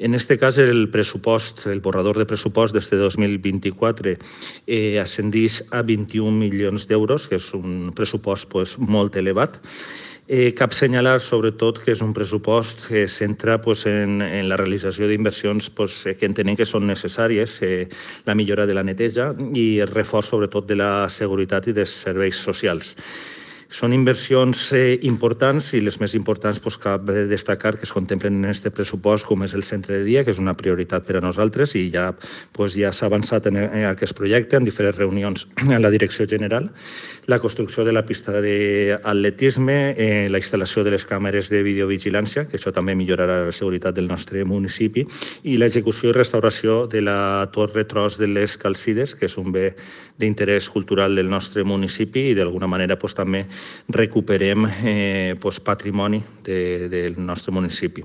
En este cas, el pressupost, el borrador de pressupost d'este 2024 ascendeix a 21 milions d'euros, que és un pressupost molt elevat. Cap assenyalar, sobretot, que és un pressupost que es centra en la realització d'inversions que entenem que són necessàries, la millora de la neteja i el reforç, sobretot, de la seguretat i dels serveis socials. Són inversions importants i les més importants cal destacar que es contemplen en aquest pressupost, com és el centre de dia, que és una prioritat per a nosaltres i ja s'ha avançat en aquest projecte en diferents reunions amb la Direcció General, la construcció de la pista d'atletisme, la instal·lació de les càmeres de videovigilància, que això també millorarà la seguretat del nostre municipi, i l'execució i restauració de la torre tros de les Calcides, que és un bé d'interès cultural del nostre municipi i d'alguna manera també recuperem patrimoni del nostre municipi.